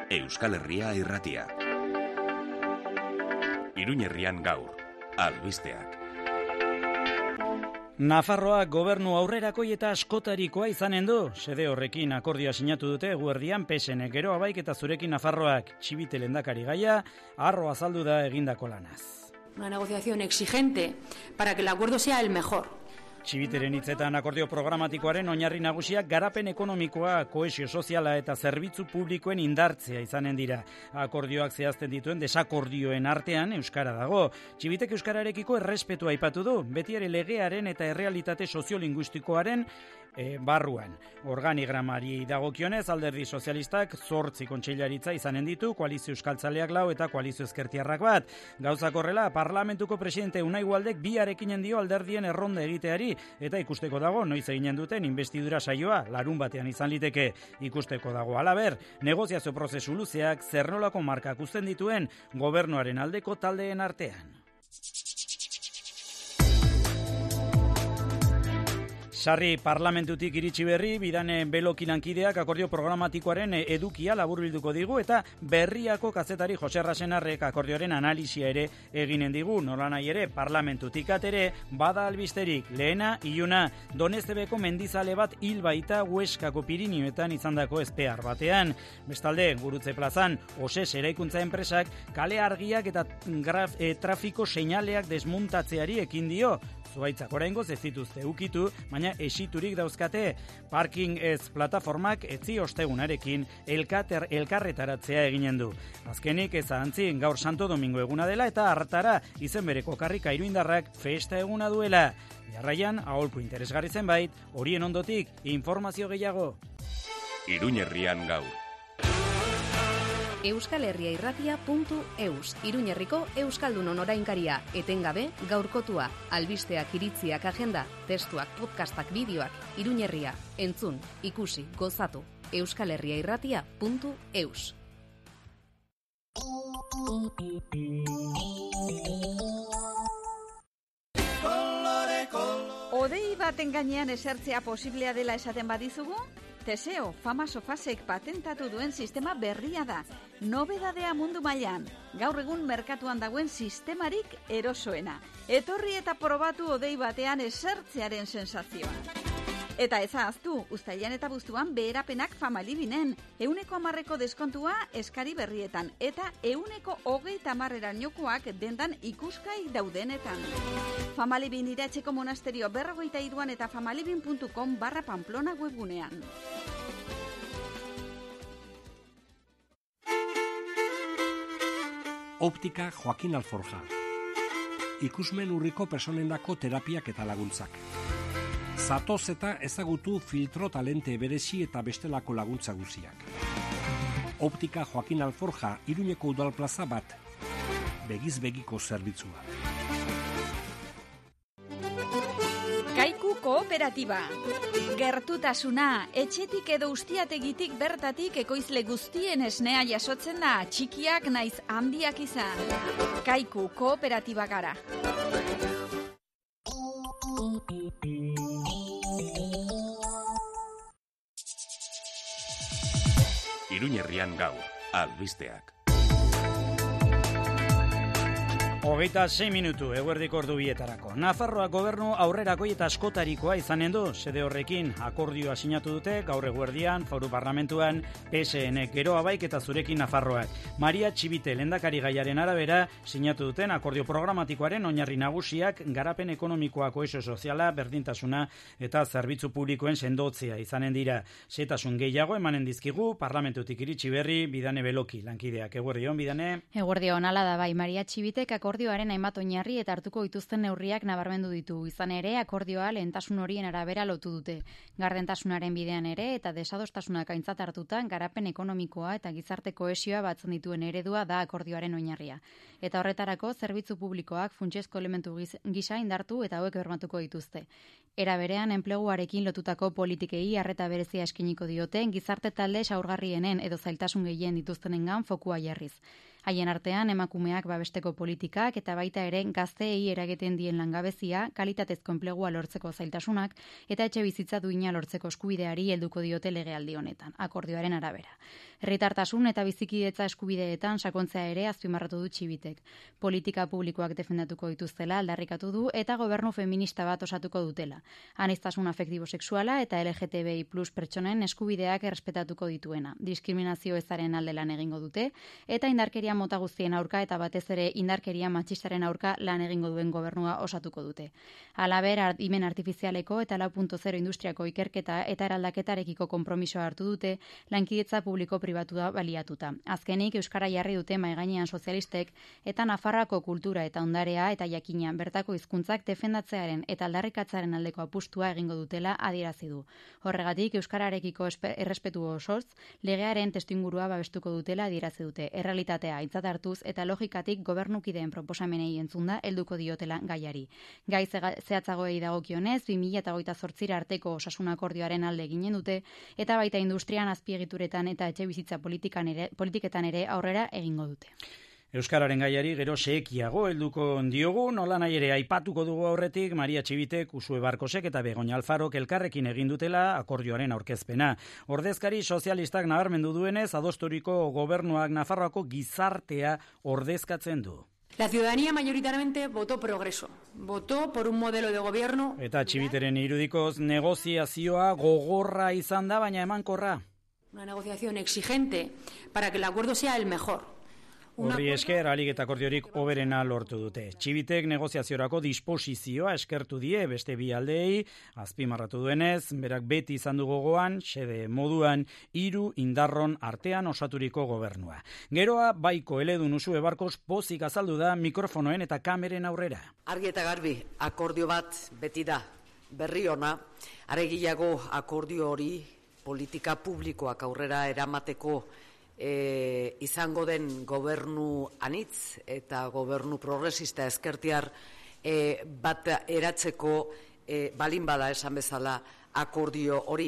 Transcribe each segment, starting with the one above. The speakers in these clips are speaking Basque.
Euskal Herria Irratia. Iruñerrian gaur, albisteak. Nafarroak gobernu aurrerakoi eta askotarikoa izanen du. Xede horrekin akordioa sinatu dute eguerdian PSN Gero Abaik eta zurekin Nafarroak. Txibite lehendakari gaia, harro azaldu da egindako lanaz. Una negociación exigente para que el acuerdo sea el mejor. Txibiteren hitzetan akordio programatikoaren oinarri nagusiak garapen ekonomikoa, kohesio soziala eta zerbitzu publikoen indartzea izanen dira. Akordioak zehazten dituen desakordioen artean euskara dago. Txibitek euskararekiko errespetua aipatu du, beti ere legearen eta errealitate soziolinguistikoaren barruan. Organigramari dagokionez alderdi sozialistak 8 kontseilaritza izanen ditu, koalizio euskaltzaleak 4 eta koalizio ezkertiarrak 1. Gauzak horrela, parlamentuko presidente Unai Ualdek biarekinen dio alderdien erronda egiteari, eta ikusteko dago noiz eginen duten inbestidura saioa larun batean izan liteke. Ikusteko dago halaber, negoziazio prozesu luzeak zer nolako markak uzten dituen gobernuaren aldeko taldeen artean. Sarri parlamentutik iritsi berri, Bidane Beloki lankideak akordio programatikoaren edukia laburbilduko digu eta Berriako kazetari Jose Rasenarrek akordioaren analisia ere eginen digu. Nolanahi ere, parlamentutik atere, bada albisterik, lehena, iluna, Doneztebeko mendizale bat hil baita Hueskako Pirinioetan izandako ezpear batean. Bestalde, Gurutze plazan, Oses eraikuntza enpresak kale argiak eta trafiko seinaleak desmuntatzeari ekin dio. Zuaitzak oraingoz ez dituzte ukitu, baina esiturik dauzkate. Parking ez plataformak etzi ostegunarekin elkarretaratzea eginen du. Azkenik ez ahantzi gaur Santo Domingo eguna dela eta hartara izen bereko karrika iruindarrak festa eguna duela. Jarraian, aholku interesgarri zenbait, horien ondotik informazio gehiago. Iruñerrian gaur. euskalherriairratia.eus, Iruñerriko Euskaldunon orainkaria, etengabe gaurkotua, albisteak, iritziak, agenda, testuak, podcastak, bideoak, Iruñerria, entzun, ikusi, gozatu, euskalherriairratia.eus. Odei baten gainean esertzea posiblea dela esaten badizugu? Teseo, Fama Sofasek patentatu duen sistema berria da. Nobedadea mundu mailan. Gaur egun merkatuan dagoen sistemarik erosoena. Etorri eta probatu odei batean esertzearen sensazioa. Eta ez ahaztu, uztailean eta abuztuan beherapenak Famalibinen. 110% deskontua eskari berrietan. Eta 120%erainokoak dendan ikuskai daudenetan. Famalibin Iratzeko monasterio 43an eta famalibin.com/Pamplona webgunean. Optika Joaquin Alforja. Ikusmen urriko personendako terapiak eta laguntzak. Zatoz eta ezagutu filtro talente berezi eta bestelako laguntza guziak. Optika Joaquin Alforja, Iruñeko udalplaza 1. Begiz begiko zerbitzua. Kaiku Kooperatiba. Gertutasuna, etxetik edo ustiategitik bertatik ekoizle guztien esnea jasotzen da, txikiak naiz handiak izan. Kaiku Kooperatiba gara. Iruñerrian gaur, albisteak. 26 minutu, eguerdiko ordu bietarako. Nafarroa gobernu aurrerakoi eta askotarikoa izanen du. Xede horrekin akordioa sinatu dute gaur eguerdian, Foru Parlamentuan, PSN Gero Abaik eta zurekin Nafarroak. Maria Txibite lehendakari gaiaren arabera sinatu duten akordio programatikoaren oinarri nagusiak garapen ekonomikoa, kohesio soziala, berdintasuna eta zerbitzu publikoen sendotzea izanen dira. Xehetasun gehiago emanen dizkigu parlamentutik iritsi berri Bidane Beloki lankideak. Eguerdion, Bidane. Eguerdion, hala da bai, Maria Txibitek akordioaren hainbat oinarri eta hartuko dituzten neurriak nabarmendu ditu. Izan ere, akordioa lehentasun horien arabera lotu dute. Gardentasunaren bidean ere eta desadostasunak aintzat hartutan garapen ekonomikoa eta gizarte kohesioa batzen dituen eredua da akordioaren oinarria. Eta horretarako zerbitzu publikoak funtsezko elementu gisa indartu eta hauek bermatuko dituzte. Era berean, enpleguarekin lotutako politikei arreta berezia eskiniko diote, gizarte talde zaurgarrienen edo zailtasun gehien dituztenengan fokua jarriz. Haien artean emakumeak babesteko politikak eta baita ere gazteei eragiten dien langabezia, kalitatezko enplegua lortzeko zailtasunak eta etxe bizitza duina lortzeko eskubideari helduko diote legealdi honetan, akordioaren arabera. Herritartasun eta bizikidetza eskubideetan sakontzea ere azpimarratu du Txibitek. Politika publikoak defendatuko dituztela aldarrikatu du eta gobernu feminista bat osatuko dutela. Aniztasun afektibo sexuala eta LGTBI+ pertsonen eskubideak errespetatuko dituena. Diskriminazio ezaren alde lan egingo dute eta indarkeria mota guztien aurka eta batez ere indarkeria matxistaren aurka lan egingo duen gobernua osatuko dute. Halaber, adimen artifizialeko eta 4.0 industriako ikerketa eta eraldaketarekiko konpromisoa hartu dute lankidetza publiko pribatua baliatuta. Azkenik, euskara jarri dute maigainean sozialistek eta Nafarroako kultura eta ondarea eta jakina bertako hizkuntzak defendatzearen eta aldarrikatzaren aldeko apustua egingo dutela adierazi du. Horregatik, euskararekiko errespetu osoz, legearen testuingurua babestuko dutela adierazi dute. Errealitatea aintzat hartuz eta logikatik gobernukideen proposamenei entzunda helduko diotela gaiari. Gai zehatzagoei dagokionez, 2028 arteko osasun akordioaren alde ginen dute eta baita industrian, azpiegituretan eta etxebizitza politiketan ere aurrera egingo dute. Euskararen gaiari gero sekiago helduko diogu, nola nahi ere aipatuko dugu aurretik Maria Txibitek, Usue Barkosek eta Begoña Alfarok elkarrekin egin dutela akordioaren aurkezpena. Ordezkari sozialistak nabarmendu duenez, adosturiko gobernuak Nafarroako gizartea ordezkatzen du. La ciudadanía mayoritariamente votó progreso, votó por un modelo de gobierno. Eta Txibiteren irudikoz negoziazioa gogorra izan da, baina emankorra. Una negociación exigente para que el acuerdo sea el mejor. Horri esker, ahalik eta akordiorik hoberena lortu dute. Txibitek negoziaziorako disposizioa eskertu die beste bi aldeei, azpimarratu duenez, berak beti izan du gogoan, xede moduan, 3 indarron artean osaturiko gobernua. Geroa, baiko eledun Usue Barkos pozik azaldu da mikrofonoen eta kameren aurrera. Argi eta garbi, akordio bat beti da, berri ona, aregiago akordio hori politika publikoak aurrera eramateko izango den gobernu anitz eta gobernu progresista ezkertiar bat eratzeko balin bada esan bezala akordio hori.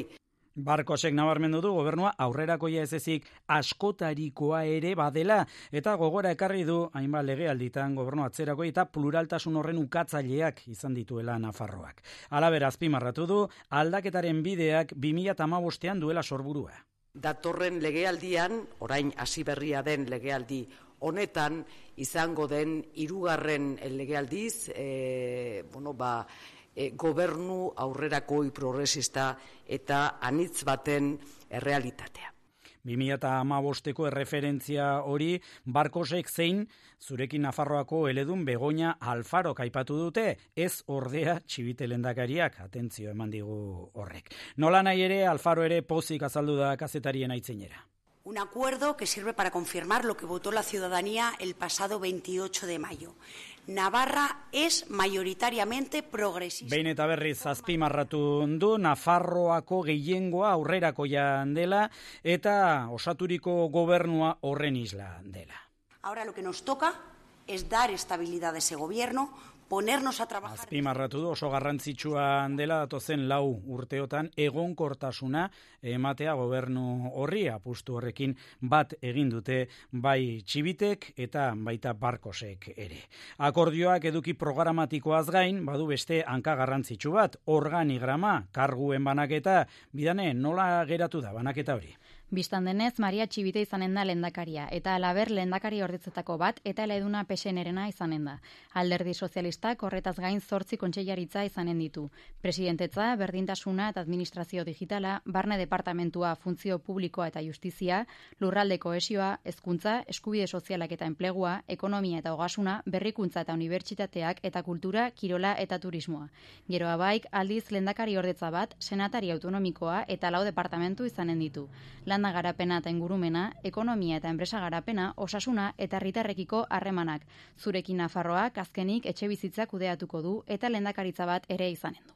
Barkosek nabarmendu du gobernua aurrerakoia ez ezik askotarikoa ere badela eta gogora ekarri du hainbat legealditan gobernu atzerako eta pluraltasun horren ukatzaileak izan dituela Nafarroak. Halaber azpimarratu du aldaketaren bideak 2015ean duela sorburua. Datorren legealdian, orain hasi berria den legealdi honetan, izango den 3. legealdiz, gobernu aurrerakoi progresista eta anitz baten errealitatea. 2015eko erreferentzia hori Barkosek zein zurekin Nafarroako eledun Begoña Alfarok aipatu dute, ez ordea Txibite lehendakariak, atentzio eman digu horrek. Nola nahi ere, Alfaro ere pozik azaldu da kazetarien aitzinera. Un acuerdo que sirve para confirmar lo que votó la ciudadanía el pasado 28 de mayo. Navarra es mayoritariamente progresista. Behin eta berriz azpimarratu du Nafarroako gehiengoa aurrerakoia dela eta osaturiko gobernua horren isla dela. Ahora lo que nos toca es dar estabilidad a ese gobierno, ponernos a trabajar. Azpimarratu du oso garrantzitsua dela datozen 4 urteotan egonkortasuna ematea gobernu horri, apustu horrekin bat egin dute bai Txibitek eta baita Barkosek ere. Akordioak eduki programatikoaz gain badu beste hanka garrantzitsu bat, organigrama, karguen banaketa, bidane nola geratu da banaketa hori. Bistan denez, Maria Txibite izanen da lehendakaria, eta halaber lehendakari ordetzetako bat, eta eleduna PSN-erena izanen da. Alderdi sozialistak horretaz gain 8 kontseilaritza izanen ditu. Presidentetza, berdintasuna eta administrazio digitala, barne departamentua, funtzio publikoa eta justizia, lurralde kohesioa, hezkuntza, eskubide sozialak eta enplegua, ekonomia eta ogasuna, berrikuntza eta unibertsitateak eta kultura, kirola eta turismoa. Geroa baik, aldiz lehendakari ordetza bat, senatari autonomikoa eta 4 departamentu izanen ditu. Landa garapena eta ingurumena, ekonomia eta enpresa garapena, osasuna eta herritarrekiko harremanak. Zurekin Nafarroak azkenik etxe bizitza kudeatuko du eta lehendakaritza bat ere izanen du.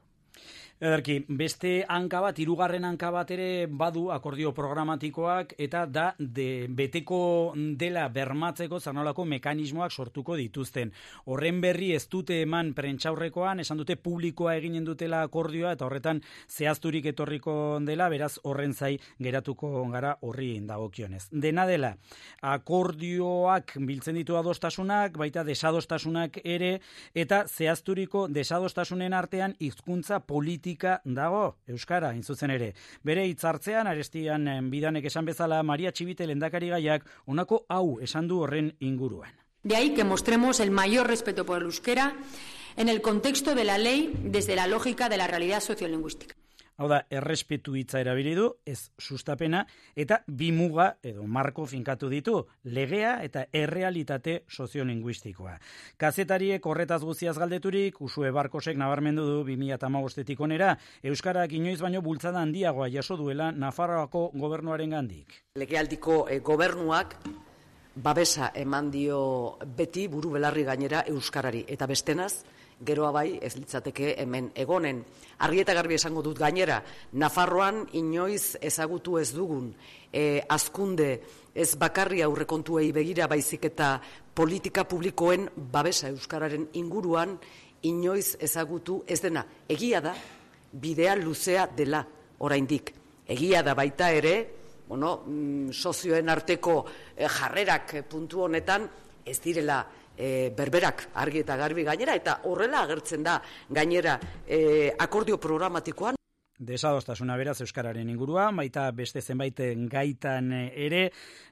Ederki, beste hanka bat, hirugarren hanka bat ere badu akordio programatikoak eta da beteko dela bermatzeko zanolako mekanismoak sortuko dituzten. Horren berri ez dute eman prentsaurrekoan, esan dute publikoa eginen dutela akordioa eta horretan zehazturik etorriko dela, beraz horren zai geratuko gara horri dagokionez. Dena dela, akordioak biltzen ditu adostasunak, baita desadostasunak ere, eta zehazturiko desadostasunen artean hizkuntza politika dago euskara, zuzen ere. Bere hitzartzean Arestian Bidanek esan bezala, Maria Txibite lehendakarigaiak honako hau esan du horren inguruan. De ahí que mostremos el mayor respeto por el euskera en el contexto de la ley desde la lógica de la realidad sociolingüística. Hau da, errespetu hitza erabili du, ez sustapena, eta bi muga edo marko finkatu ditu, legea eta errealitate soziolinguistikoa. Kazetariek horretaz guztiaz galdeturik, Usue Barkosek nabarmendu du 2015 onera, euskarak inoiz baino bultzada handiagoa jaso duela Nafarroako gobernuaren gandik. Legealdiko gobernuak babesa eman dio beti buru belarri gainera euskarari, eta bestenaz, geroa bai ez litzateke hemen egonen. Argi eta garbi esango dut gainera, Nafarroan inoiz ezagutu ez dugun hazkunde ez bakarri aurrekontuei begira baizik eta politika publikoen babesa euskararen inguruan inoiz ezagutu ez dena. Egia da, bidea luzea dela oraindik. Egia da baita ere, sozioen arteko jarrerak puntu honetan ez direla berberak argi eta garbi gainera, eta horrela agertzen da gainera akordio programatikoan. Desadostasuna beraz euskararen ingurua, baita beste zenbait gaitan ere,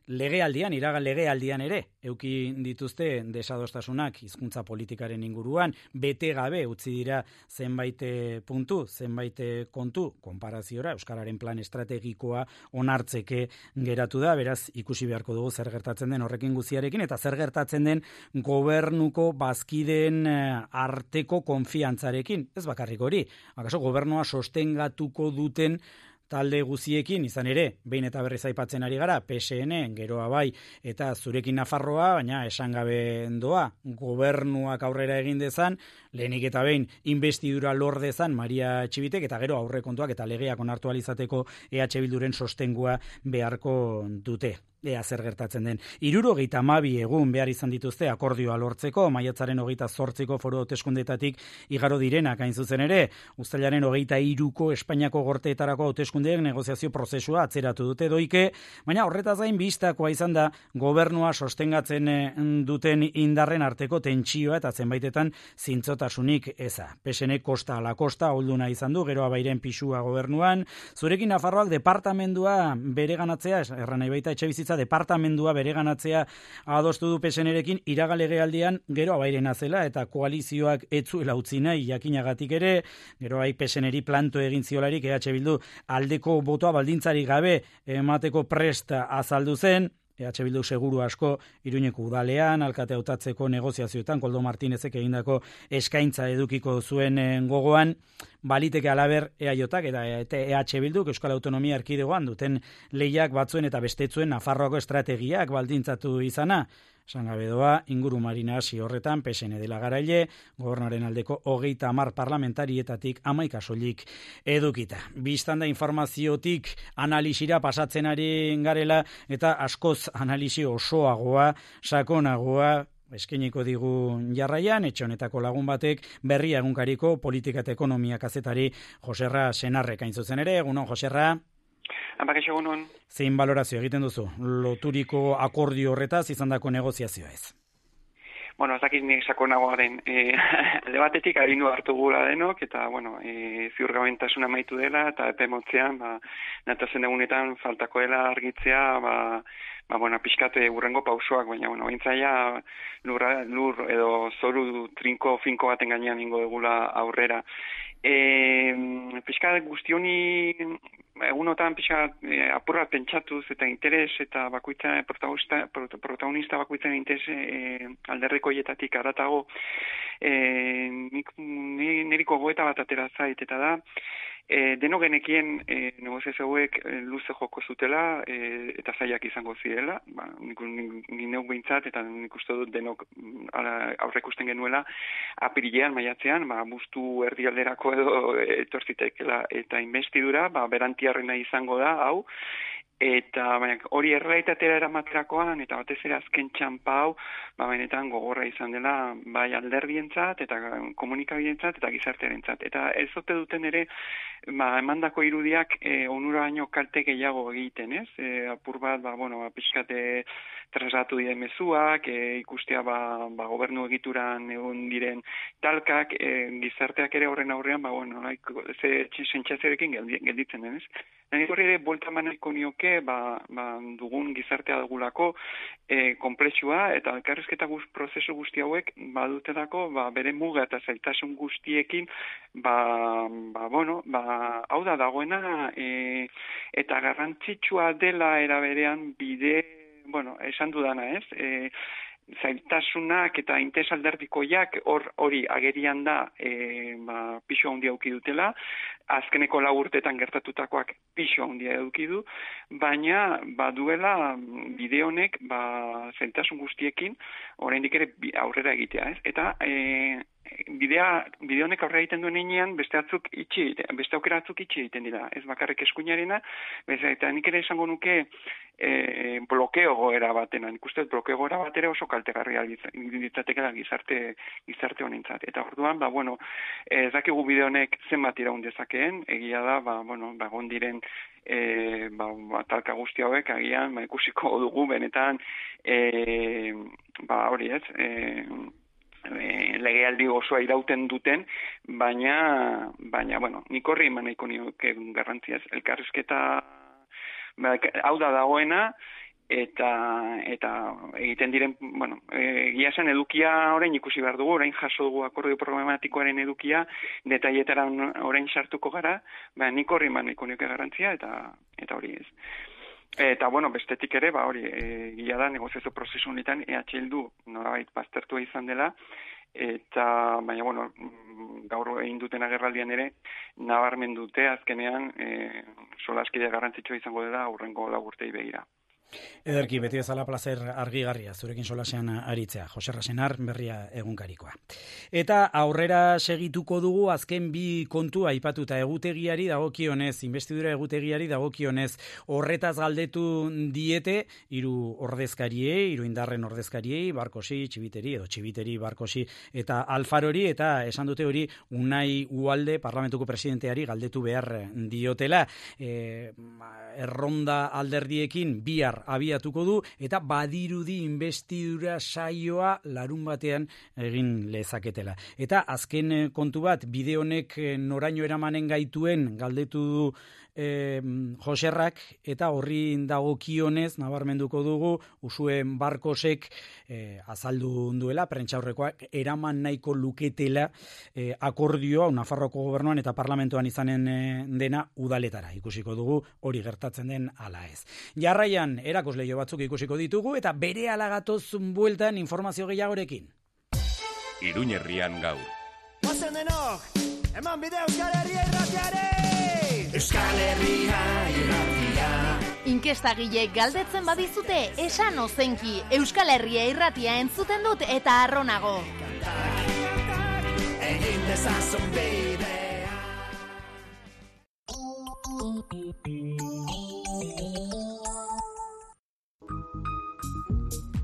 iragan legealdian ere, euki dituzte desadostasunak hizkuntza politikaren inguruan, bete gabe utzi dira zenbait puntu, zenbait kontu, konparaziora, euskararen plan estrategikoa onartzeke geratu da, beraz ikusi beharko dugu zer gertatzen den horrekin guztiarekin, eta zer gertatzen den gobernuko bazkideen arteko konfiantzarekin, ez bakarrik hori, akaso gobernua sostengatuko duten talde guziekin, izan ere, behin eta berriz aipatzen ari gara, PSN, geroa bai, eta zurekin Nafarroa, baina esan gabe doa, gobernuak aurrera egin dezan, lehenik eta behin investidura lor dezan Maria Txibitek, eta gero aurrekontuak eta legeak onartu alizateko EH Bilduren sostengua beharko dute. Ea zer gertatzen den. 72 egun behar izan dituzte akordioa lortzeko, maiatzaren 28ko foru hauteskundetatik igaro direnak hain zuzen ere, uztailaren 23ko Espainiako gorteetarako hauteskundeek negoziazio prozesua atzeratu dute doike, baina horretaz gain bistakoa izan da gobernua sostengatzen duten indarren arteko tentsioa eta zenbaitetan zintzotasunik eza. PSN kosta ala kosta olduna izan du, geroa bairen pisua gobernuan, zurekin Nafarroak departamendua bereganatzea, erran nahi baita etxebizitza departamendua bereganatzea adostu du PSNerekin iragan legealdian gero abairena zela eta koalizioak etzuela utzi nahi jakinagatik ere, gero bai PSNeri planto egin ziolarik EH Bildu aldeko botoa baldintzarik gabe emateko presta azaldu zen, EH Bildu seguru asko Iruñeko udalean, alkate hautatzeko negoziazioetan, Koldo Martinezek egindako eskaintza edukiko zuen gogoan, baliteke alaber EAJak eta EH Bilduk Euskal Autonomia Erkidegoan duten lehiak batzuen eta bestetzuen Nafarroako estrategiak baldintzatu izana. Esan gabe doa, inguru marina hasi horretan, PSN dela garaile, gobernaren aldeko 30 parlamentarietatik 11 soilik edukita. Biztanda informaziotik analisira pasatzen ari garela eta askoz analisi osoagoa, sakonagoa, eskainiko digu jarraian, etxe honetako lagun batek Berria egunkariko politika eta ekonomia kazetari Joserra Senarrek hain zuzen ere. Egunon, Joserra? Hanbakaixo egunon. Zein balorazio egiten duzu? Loturiko akordio horretaz izandako negoziazioa ez? Bueno, ez dakit nik sakonagoa den. Alde batetik agindu hartu gula denok, eta, ziurgabentasuna amaitu dela, eta epe motzean, natazen egunetan faltako dela argitzea, pixkate urrengo pausoak, baina, bintzaia lur edo zoru trinko finko baten gainean ingo degula aurrera. Pixka guztioni egunotan apurra pentsatuz eta interes eta bakoitza protagonista bakoitzaren interes alderrekoietatik aratago niriko goeta bat atera zait eta da Deno genekien negoziazio hauek luze joko zutela eta zaiak izango zirela, nik neuk behintzat eta nik uste dut denok aurrekusten genuela apirilean, maiatzean, bustu erdialderako edo etorzitekela eta investidura, berantiarrena izango da, hau, eta hori errealitatera eramaterakoan eta batez ere azken txampa hau benetan gogorra izan dela bai alderdientzat eta komunikabidentzat eta gizartearentzat. Eta ez ote duten ere emandako irudiak onura baino kalte gehiago egiten, ez? Apur bat, pixkate trasatu diren mezuak, ikustea gobernu egituran egon diren talkak, gizarteak ere horren aurrean, ze sentsazioarekin gelditzen den, ez? Nik horri ere buelta maneko nioke, dugun gizartea dugulako konplexua eta elkarrizketa prozesu guzti hauek badutelako bere muga eta zailtasun guztiekin hau da dagoena eta garrantzitsua dela era berean esan dudana, ez? Zailtasunak eta interes alderdikoiak hori agerian da pixo handia eduki dutela, azkeneko 4 urteetan gertatutakoak pixo handia eduki du, baina baduela bide honek zailtasun guztiekin oraindik ere aurrera egitea, ez? Eta bide honek aurrera egiten duen heinean beste aukera batzuk itxi egiten dira, ez bakarrik eskuinarena, eta nik ere esango nuke blokeo goera batena, nik uste blokeo goera batera oso kaltegarria ditzatekela gizarte honentzat. Eta orduan, ez dakigu bide honek zenbat iraun dezakeen, egia da, egon diren talka guzti hauek agian ikusiko dugu benetan hori ez, legealdi osoa irauten duten, baina nik horri eman nahiko nioke garrantziaz, elkarrizketa hau da dagoena, eta egiten diren, egia zen edukia orain ikusi behar dugu, orain jaso dugu akordio problematikoaren edukia, detailetara orain sartuko gara, nik horri eman nahiko nioke garrantzia, eta hori ez. Eta, bestetik ere, hori, gila da, negoziazio prozesu honetan, Bildu norabait baztertua izan dela, eta, baina, gaur egin duten agerraldian ere, nabarmen dute azkenean, solaskidea garrantzitsua izango dela aurrengo 4 urtei begira. Ederki, beti bezala plazer argigarria, zurekin solasean aritzea, Jose Rasenar, Berria egunkarikoa. Eta aurrera segituko dugu azken bi kontu aipatuta egutegiari dagokionez, investidura egutegiari dagokionez, horretaz galdetu diete, 3 ordezkariei, 3 indarren ordezkariei, Barkosi, Txibiteri, Barkosi eta Alfarori, eta esan dute hori Unai Ugalde, parlamentuko presidenteari galdetu behar diotela. Erronda alderdiekin bihar abiatuko du, eta badirudi investidura saioa larun batean egin lezaketela. Eta azken kontu bat, bide honek noraino eramanen gaituen galdetu du Joserrak, eta horri dagokionez nabarmenduko dugu Usuen Barkosek azaldu duela, prentsaurrekoak eraman nahiko luketela akordioa Nafarroko gobernuan eta parlamentoan izanen dena udaletara. Ikusiko dugu hori gertatzen den ala ez. Jarraian erakusleio batzuk ikusiko ditugu eta berehala gatoz bueltan informazio gehiagorekin. Iruñerrian gaur. Ozen denok, eman bide Euskal Herria irratiare! Euskal Herria irratia. Inkestagile galdetzen badizute, esan ozenki, Euskal Herria irratia entzuten dut eta arronago. Egin dezazun bidea.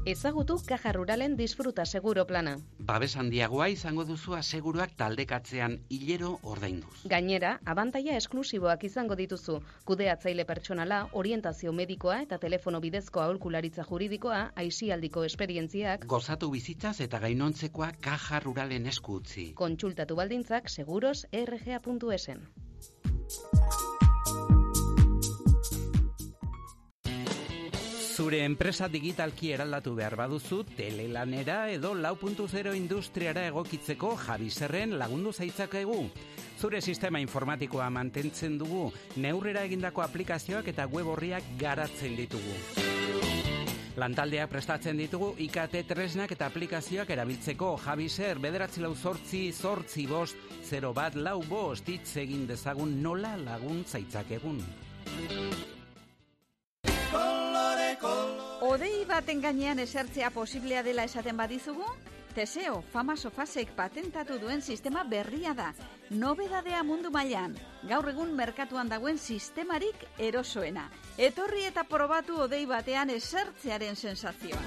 Ezagutu Caja Ruralen disfruta seguro plana. Babes handiagoa izango duzu aseguruak taldekatzean hilero ordainduz. Gainera, abantaila esklusiboak izango dituzu. Kudeatzaile pertsonala, orientazio medikoa eta telefono bidezko aholkularitza juridikoa, aisialdiko esperientziak. Gozatu bizitzaz eta gainontzekoa Caja Ruralen esku utzi. Kontsultatu baldintzak seguros.rga.esen. Zure enpresa digitalki eraldatu behar baduzu, telelanera edo 4.0 industriara egokitzeko Javiserren lagundu zaitzakegu. Zure sistema informatikoa mantentzen dugu, neurrera egindako aplikazioak eta web orriak garatzen ditugu. Lantaldeak prestatzen ditugu IKT tresnak eta aplikazioak erabiltzeko. Javiser 944-05-015 hitz egin dezagun nola laguntza itzakegun. Odei baten gainean esertzea posiblea dela esaten badizugu? Teseo, Fama Sofasek patentatu duen sistema berria da. Nobedadea mundu mailan. Gaur egun merkatuan dagoen sistemarik erosoena. Etorri eta probatu odei batean esertzearen sensazioa.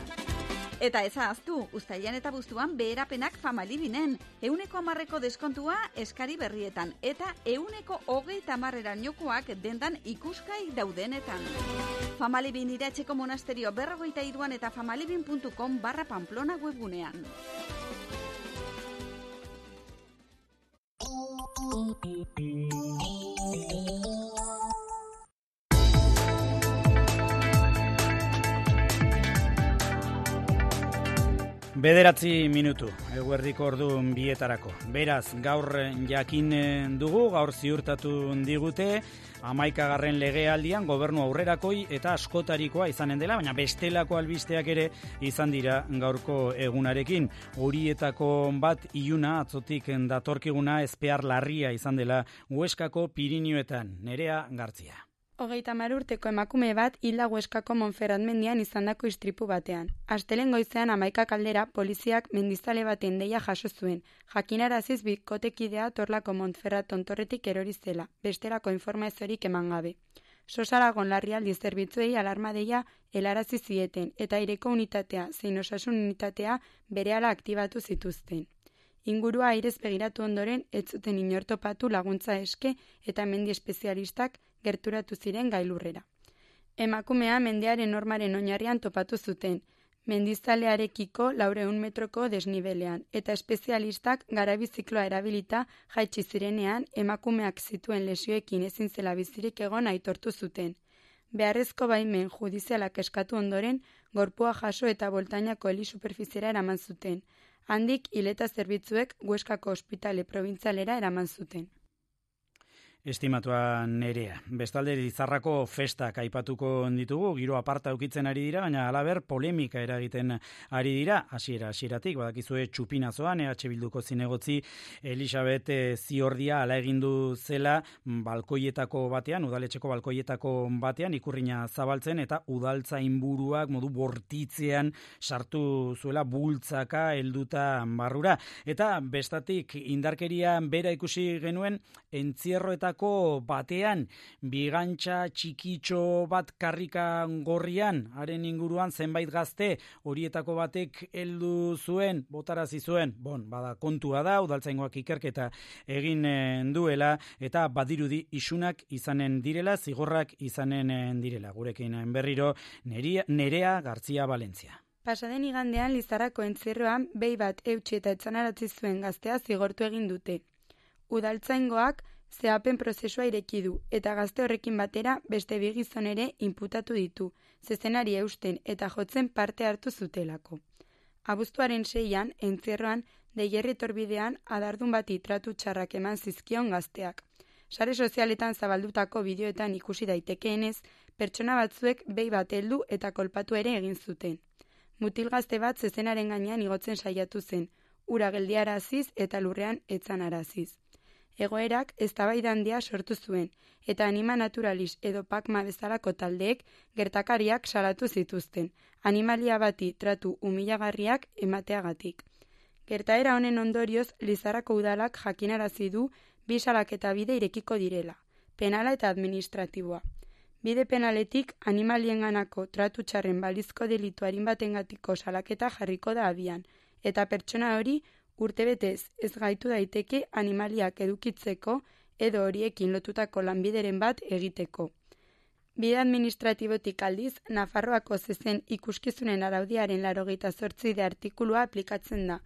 Eta ez ahaztu, uztailean eta abuztuan beherapenak Famalibinen. 100% deskontua eskari berrietan. Eta 130%erainokoak dendan ikuskai daudenetan. Famalibin Iratzeko monasterio 43an eta famalibin.com/Pamplona webgunean. Bederatzi minutu, eguerdiko ordu bietarako. Beraz, gaur jakin dugu, gaur ziurtatu digute, 11. legealdian gobernu aurrerakoi eta askotarikoa izanen dela, baina bestelako albisteak ere izan dira gaurko egunarekin. Horietako bat iluna atzotik datorkiguna ezpear larria izan dela Hueskako Pirinioetan. Nerea Gartzia. 30 urteko emakume bat hilda Hueskako Monferrat mendian izandako istripu batean. Astelehen goizean 11 aldera poliziak mendizale baten deia jaso zuen. Jakinaraziz bikotekidea Torlako Monferrat tontorretik erori zela, besterako informaziorik eman gabe. Sosaragon larrialdi zerbitzuei alarma deia helarazi zieten eta aireko unitatea zein osasun unitatea berehala aktibatu zituzten. Ingurua airez begiratu ondoren ez zuten inortopatu laguntza eske eta mendi espezialistak gerturatu ziren gailurrera. Emakumea mendearen normaren oinarrian topatu zuten, mendizalearekiko 400 metroko desnibelean, eta espezialistak garabizikloa erabilita jaitsi zirenean emakumeak zituen lesioekin ezin zela bizirik egon aitortu zuten. Beharrezko baimen judizialak eskatu ondoren, gorpua jaso eta boltainako helisuperfiziera eraman zuten. Handik hileta zerbitzuek Hueskako ospitale probintzialera eraman zuten. Estimatua Nerea. Bestalde Lizarrako festak aipatuko ditugu, giro aparta ukitzen ari dira, baina halaber polemika eragiten ari dira, hasieratik, badakizue txupinazoan, EH Bilduko zinegotzi Elisabet Ziordia ala egindu zela balkoietako batean, udaletxeko balkoietako batean, ikurrina zabaltzen eta udaltzainburuak modu bortitzean sartu zuela bultzaka helduta barrura. Eta bestatik indarkeria bera ikusi genuen entzierroetako batean, bigantxa txikitxo bat karrika gorrian, haren inguruan zenbait gazte, horietako batek heldu zuen, botarazi zuen, bada kontua da, udaltzaingoak ikerketa egin duela, eta badirudi isunak izanen direla, zigorrak izanen direla. Gurekin berriro, Nerea Gartzia Valentzia. Pasaden igandean Lizarrako entzierroan behi bat eutsi eta etzanaratzi zuen gaztea zigortu egin dute. Udaltzaingoak zehapen prozesua ireki du, eta gazte horrekin batera beste bi gizon ere inputatu ditu, zezenari eusten eta jotzen parte hartu zutelako. Abuztuaren 6an, entzierroan, Deierri torbidean adardun bati tratu txarrak eman zizkion gazteak. Sare sozialetan zabaldutako bideoetan ikusi daitekeenez, pertsona batzuek behi bat heldu eta kolpatu ere egin zuten. Mutil gazte bat zezenaren gainean igotzen saiatu zen, ura geldiaraziz eta lurrean etzanaraziz. Egoerak eztabaida handia sortu zuen, eta Anima Naturalis edo Pakma bezalako taldeek gertakariak salatu zituzten, animalia bati tratu humilagarriak emateagatik. Gertaera honen ondorioz, Lizarrako udalak jakinarazi du bi salaketa bide irekiko direla, penala eta administratiboa. Bide penaletik animalienganako tratu txarren balizko delitu arinbatengatiko salaketa jarriko da abian, eta pertsona hori urtebetez ez gaitu daiteke animaliak edukitzeko edo horiekin lotutako lanbideren bat egiteko. Bide administratibotik aldiz, Nafarroako zezen ikuskizunen araudiaren 88 artikulua aplikatzen da,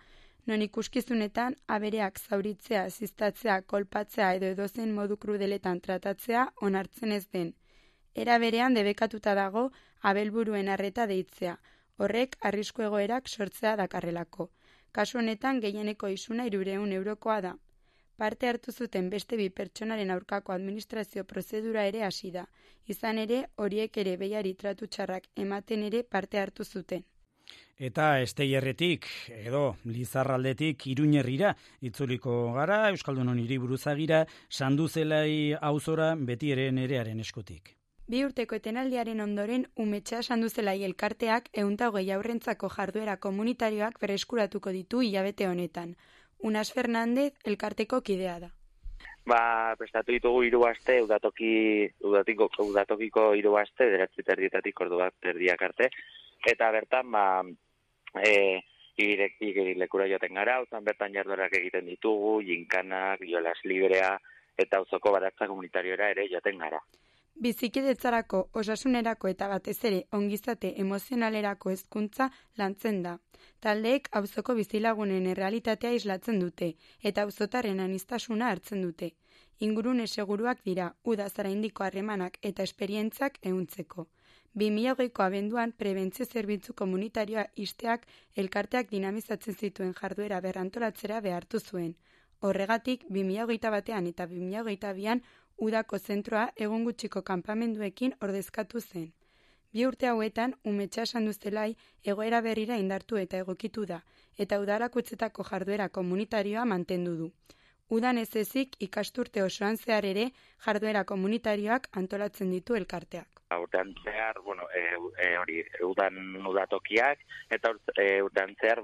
non ikuskizunetan abereak zauritzea, ziztatzea, kolpatzea edo edozen modu krudeletan tratatzea onartzen ez den. Era berean debekatuta dago abelburuen arreta deitzea, horrek arrisku egoerak sortzea dakarrelako. Kasu honetan gehieneko isuna 300 eurokoa da. Parte hartu zuten beste 2 pertsonaren aurkako administrazio prozedura ere hasi da. Izan ere, horiek ere behiari tratu txarrak ematen ere parte hartu zuten. Eta Esteierretik edo Lizarraldetik Iruñerrira itzuliko gara, Euskaldunon hiriburuzagira, Sanduzelai auzora beti ere Nerearen eskutik. 2 urteko etenaldiaren ondoren, Umetxa Sanduzelai elkarteak 120 haurrentzako jarduera komunitarioak berreskuratuko ditu hilabete honetan. Unas Fernández elkarteko kidea da. Prestatu ditugu 3 aste, udatokiko 3 aste, 9:30 ordu 1:30 arte, eta bertan, lekura joaten gara, auzan bertan jarduerak egiten ditugu, jinkanak, jolas librea, eta auzoko baratza komunitarioera ere joaten gara. Bizikidetzarako, osasunerako eta batez ere ongizate emozionalerako hezkuntza lantzen da. Taldeek auzoko bizilagunen errealitatea islatzen dute eta auzotarren aniztasuna hartzen dute. Ingurune seguruak dira, uda zaraindiko harremanak eta esperientzak ehuntzeko. 2020ko abenduan prebentzio zerbitzu komunitarioa ixteak elkarteak dinamizatzen zituen jarduera berrantolatzera behartu zuen. Horregatik, 2021 eta 2022an udako zentroa egun gutxiko kanpamenduekin ordezkatu zen. 2 urte hauetan, Umetxa Sanduzelai egoera berrira indartu eta egokitu da, eta udarakutzetako jarduera komunitarioa mantendu du. Udan ez ezik ikasturte osoan zehar ere jarduera komunitarioak antolatzen ditu elkarteak. Urtean zehar, udan udatokiak, eta urtean zehar,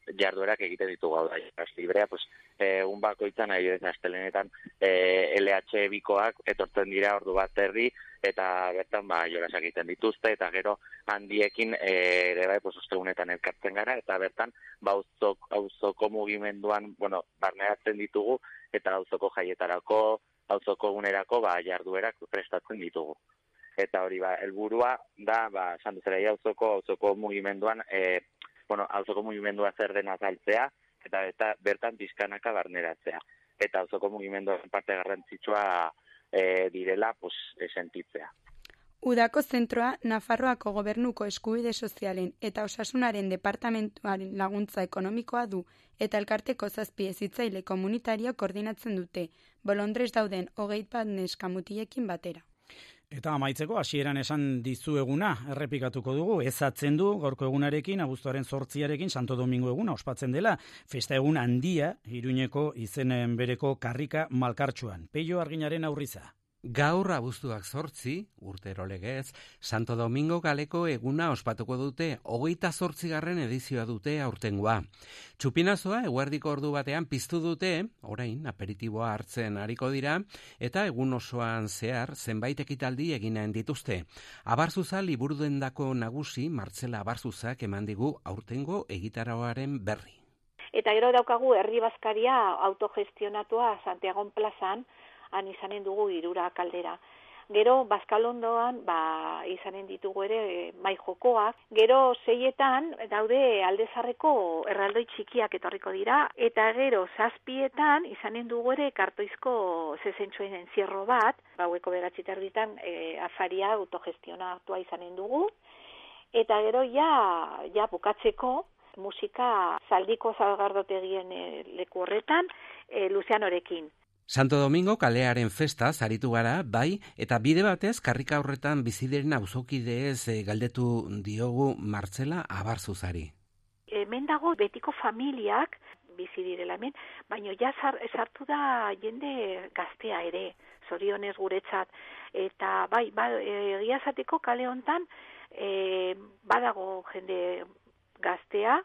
jarduerak egiten ditugu hau da, jolas librea, un bakoitzan, astelenetan LH bikoak etortzen dira ordu 1:30, eta bertan jolasak egiten dituzte, eta gero handiekin ere ostegunetan elkartzen gara, eta bertan auzoko mugimenduan, barneratzen ditugu, eta auzoko jaietarako, auzoko egunerako jarduerak prestatzen ditugu. Eta hori helburua da, Sanduzelai auzoko mugimenduan, auzoko mugimendua zer den azaltzea, eta bertan pizkanaka barneratzea. Eta auzoko mugimenduaren parte garrantzitsua direla sentitzea. Udako zentroa Nafarroako Gobernuko Eskubide Sozialen eta Osasunaren Departamentuaren laguntza ekonomikoa du, eta elkarteko 7 hezitzaile komunitario koordinatzen dute, bolondrez dauden 21 neska mutilekin batera. Eta amaitzeko hasieran esan dizueguna errepikatuko dugu, ezatzen du gaurko egunarekin, abuztuaren 8arekin Santo Domingo eguna ospatzen dela, festa egun handia Iruñeko izenen bereko karrika malkartsuan. Peio Arginaren aurriza. Gaur abuztuak 8, urtero legez, Santo Domingo galeko eguna ospatuko dute, 28. edizioa dute aurtengoa. Txupinazoa eguerdiko ordu batean piztu dute, orain aperitiboa hartzen ariko dira, eta egun osoan zehar zenbait ekitaldi eginen dituzte. Abarzuza liburudendako nagusi Martzela Abarzuzak eman digu aurtengo egitaragoaren berri. Eta gero daukagu herri bazkaria autogestionatua Santiagon plazan, han izanen dugu 3 kaldera. Gero, Bazkalondoan, izanen ditugu ere mai jokoak. Gero, 6etan daude Aldezarreko erraldoi txikiak etorriko dira. Eta gero, 7etan izanen dugu ere kartoizko zezentxoen encierro bat. Gaueko 9:30 afaria autogestionatua izanen dugu. Eta gero, ja bukatzeko musika Zaldiko Zagardotegien leku horretan, Luzianorekin. Santo Domingo kalearen festa zaritu gara, bai, eta bide batez karrika horretan bizidiren auzokideez galdetu diogu Martzela Abarzuzari. Hemen dago betiko familiak bizi direla hemen, baina ja sartu da jende gaztea ere, zorionez guretzat. Eta egia esateko kale hontan badago jende gaztea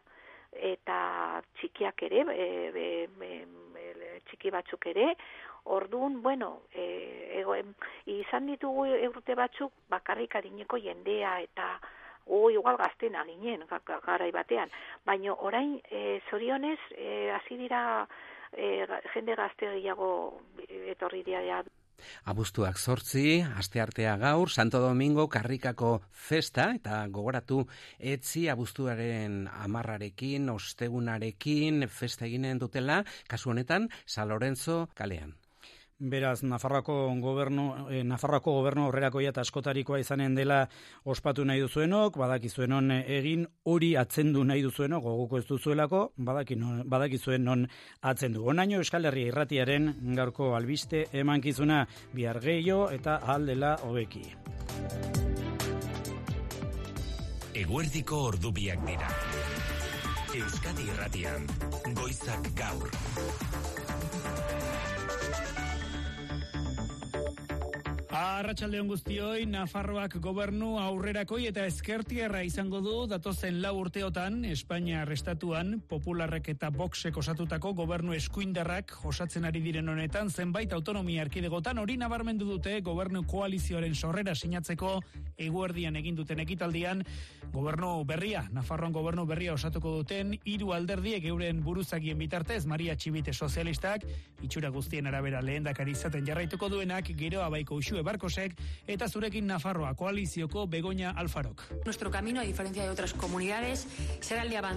eta txikiak ere, txiki batzuk ere. Orduan, izan ditugu urte batzuk bakarrik adineko jendea eta igual gaztena ginen garai batean. Baina orain zorionez hasi dira jende gazte gehiago etorri dira. Abuztuak 8, asteartea gaur, Santo Domingo karrikako festa, eta gogoratu etzi abuztuaren 10arekin, ostegunarekin festa eginen dutela, kasu honetan San Lorenzo kalean. Beraz, Nafarroako gobernu aurrerakoia eta askotarikoa izanen dela ospatu nahi duzuenok, badakizuen non egin, hori atzendu nahi duzuenok, goguko ez duzuelako, badakizuen non atzendu. Onaino Euskal Herria Irratiaren gaurko albiste emankizuna, bihar gehiago eta ahal dela hobeki. Eguerdiko ordubiak dira. Euskadi Irratian, goizak gaur. Arratsaldeon guztioi, Nafarroak gobernu aurrerakoi eta ezkertierra izango du datozen 4 urteotan Espainia estatuan Popularrek eta Voxek osatutako gobernu eskuindarrak osatzen ari diren honetan zenbait autonomia erkidegotan hori nabarmendu dute gobernu koalizioaren sorrera sinatzeko eguerdian egin duten ekitaldian. Gobernu berria, Nafarroan gobernu berria osatuko duten 3 alderdiek euren buruzagien bitartez, Maria Txibite sozialistak, itxura guztien arabera lehendakari izaten jarraituko duenak, Geroa Baiko Uxue Barkosek eta zurekin Nafarroa koalizioko Begoña Alfarok. Nuestro camino, a diferencia de otras comunidades, será el de avanzar